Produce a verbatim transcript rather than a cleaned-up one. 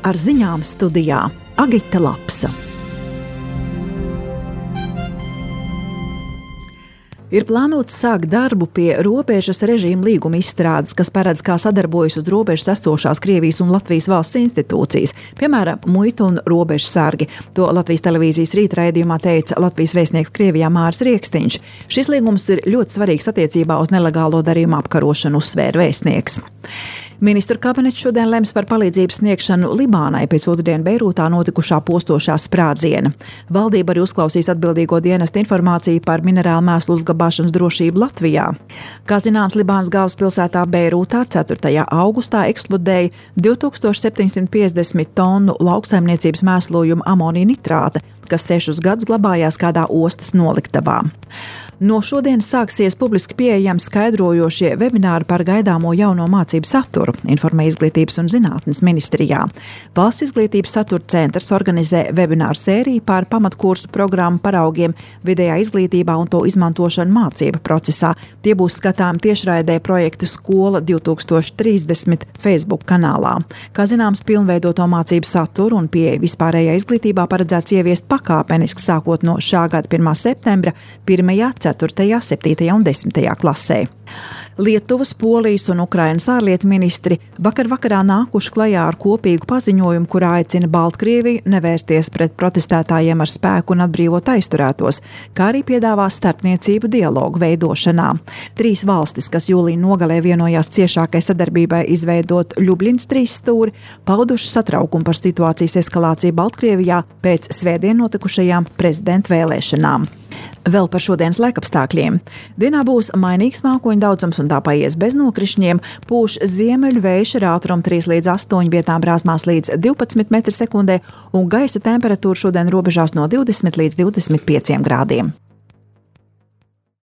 Ar ziņām studijā Agita Lapsa. Ir plānots sākt darbu pie robežas režīma līguma izstrādes, kas paredz, kā sadarbojas uz robežas esošās Krievijas un Latvijas valsts institūcijas, piemēram, muitu un robežu sargi. To Latvijas televīzijas rītraidījumā teica Latvijas vēstnieks Krievijā Māris Rieksniņš. Šis līgums ir ļoti svarīgs attiecībā uz nelegālo darījumu apkarošanu, uzsvēra vēstnieks. Ministru kabinets šodien lems par palīdzības sniegšanu Libānai pēc otrdien Beirūtā notikušā postošā sprādziena. Valdība arī uzklausīs atbildīgo dienestu informāciju par minerālu mēslu uzglabāšanas drošību Latvijā. Kā zināms, Libānas galvaspilsētā Beirūtā ceturtajā augustā eksplodēja divi tūkstoši septiņsimt piecdesmit tonu lauksaimniecības mēslojuma amonija nitrāta, kas sešus gadus glabājās kādā ostas noliktavā. No šodienas sāksies publiski pieejami skaidrojošie webināri par gaidāmo jauno mācību saturu, informē Izglītības un zinātnes ministrijā. Valsts izglītības satura centrs organizē webināru sēriju par pamatkursu programmu paraugiem vidējā izglītībā un to izmantošanu mācību procesā. Tie būs skatām tiešraidē projekta Skola divi tūkstoši trīsdesmit Facebook kanālā. Kā zināms, pilnveidoto mācību saturu un pieeja vispārējā izglītībā paredzēts ieviest pakāpeniski sākot no šā gada pirmā septembra pirmajā, ceturtajā, septītajā un desmitajā klasē. Lietuvas, Polijas un Ukrainas ārlietu ministri vakar vakarā nākuši klajā ar kopīgu paziņojumu, kurā aicina Baltkrieviju nevērsties pret protestētājiem ar spēku un atbrīvot aizturētos, kā arī piedāvā starpniecību dialogu veidošanā. Trīs valstis, kas jūlija nogalē vienojās ciešākai sadarbībai izveidot Ļubļinas trīs stūri, pauduši satraukumu par situācijas eskalāciju Baltkrievijā pēc svētdien notikušajām prezidenta vēlēšanām. Vēl par šodienas laikapstākļiem. Dienā būs mainīgs mākoņu daudzums un tā paies bez nokrišņiem, pūš ziemeļu vējš ar ātrumu trīs līdz astoņi, vietām brāzmās līdz divpadsmit metri sekundē un gaisa temperatūra šodien robežās no divdesmit līdz divdesmit pieciem grādiem.